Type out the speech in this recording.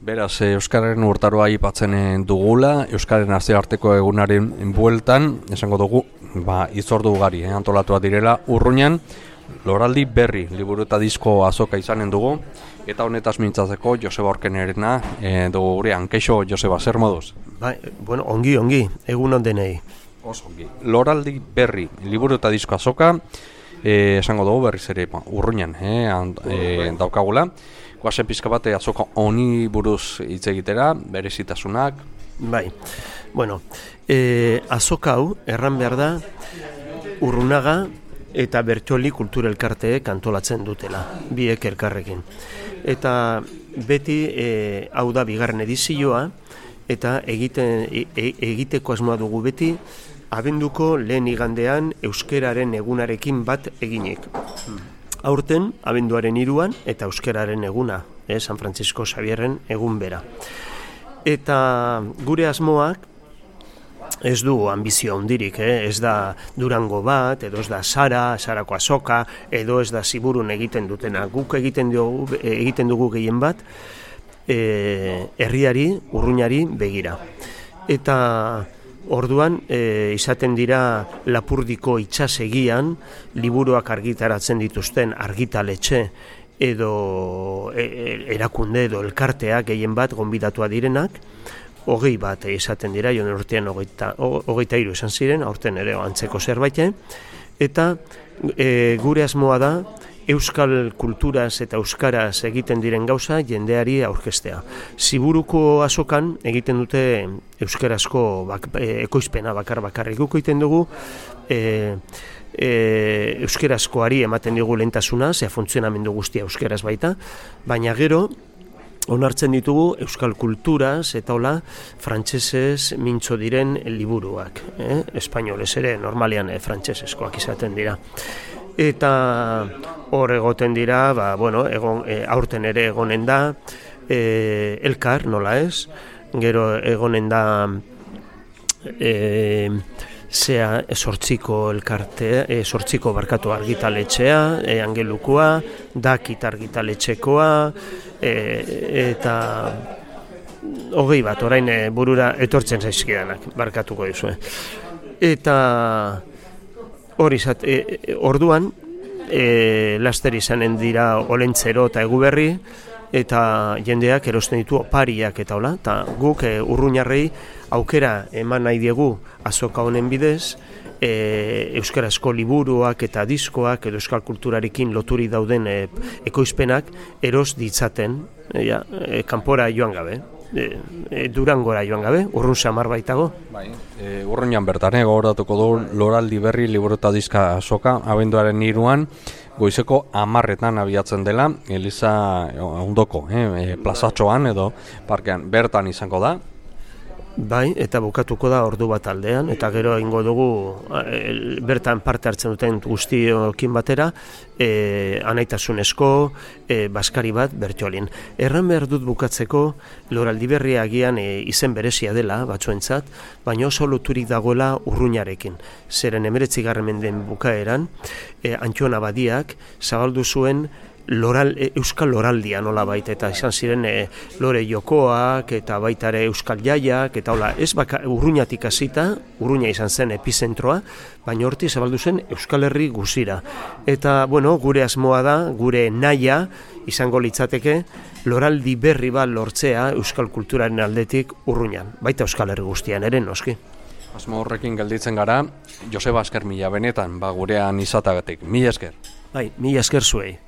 Beraz, Euskararen urtaroa aipatzen dugula, Euskararen nazioarteko egunaren bueltan, esango dugu, hitzordu ugari antolatua direla Urruñan, Loraldi Berri liburu eta disko azoka izanen dugu, eta honetaz mintzatzeko Joseba Orkenerena dugu gurean. Keixo, Joseba, zer moduz? Ongi, egun ondenei. Oso ongi. Loraldi Berri liburu eta disko azoka, esango dugu berriz ere Urruñan daukagula. Guazen pizka bat azoka honi buruz hitz egitera, berezitasunak. Azoka hau, erran behar da, Urrunaga eta Bertxoli Kultura Elkarteek antolatzen dutela, biek elkarrekin. Eta beti hau da bigarren edizioa, eta egiteko asmoa dugu beti, abenduko lehen igandean euskeraren egunarekin bat eginik. Aurten, abenduaren 3an eta euskeraren eguna, San Francisco Xavierren egun bera. Eta gure asmoak ez du ambizio handirik, ez da Durango bat, edo ez da Sarako azoka, edo ez da Ziburun egiten dutena. Guk egiten dugu gehien bat, herriari, Urruñari begira. Eta orduan, izaten dira Lapurdiko itsasegian liburuak argitaratzen dituzten argitaletxe edo erakunde edo elkarteak gehien bat gonbidatua direnak, 20 bat izaten dira, joan urtean 23 izan ziren, aurten ere antzeko zerbait, eta gure asmoa da euskal kulturaz eta euskaraz egiten diren gauza jendeari aurkeztea. Ziburuko azokan egiten dute euskarazko ekoizpena bakarrik guk egiten dugu, euskarazkoari ematen dugu lehentasuna, funtzionamendu guztia euskaraz baita, baina gero onartzen ditugu euskal kulturaz eta hola frantsesez mintzo diren liburuak, espainolez ere normalean frantsesezkoak izaten dira. Eta hor egoten dira, aurten ere egonen da, elkar, nola ez, gero egonen da sortziko argitaletxea, Angelukoa, Dakit argitaletxekoa, eta 20 bat, orain burura etortzen zaizkidanak, barkatuko dizue. Eta orduan, laster izanen dira Olentzero eta Eguberri, eta jendeak erosten ditu opariak eta hola, eta guk Urruñarrei aukera eman nahi diegu azoka honen bidez, euskarazko liburuak eta diskoak edo euskal kulturarekin loturi dauden ekoizpenak eros ditzaten, kanpora joan gabe. Durangora joan gabe, Urrun samar baitago. Urruñan bertan gogoratuko du Loraldi Berri liburu eta diska azoka, abenduaren 3an, goizeko 10etan abiatzen dela, Eliza ondoko, plazatxoan edo parkean bertan izango da. Eta bukatuko da ordu bat aldean, eta gero egingo dugu bertan parte hartzen duten guztiokin batera, anaitasunezko baskari bat Bertxolin. Erran behar dut bukatzeko, Loraldi Berria agian izen berezia dela batzuentzat, baina oso loturik dagoela Urruñarekin. Zeren 19. mendeen bukaeran, Antxon Abadiak zabaldu zuen euskal loraldia nola baita, eta izan ziren lore jokoak eta baita ere euskal jaiak, eta hola, ez Urruñatik hasita, Urruña izan zen epizentroa, baina horti zabaldu zen Euskal Herri guzira. Eta, gure asmoa da, gure nahia izango litzateke, Loraldi Berri bat lortzea euskal kulturaren aldetik Urruñan, baita Euskal Herri guztian ere noski. Asmo horrekin gelditzen gara, Joseba esker mila benetan, gurean izatagatik. Mila esker. Mila esker zuei.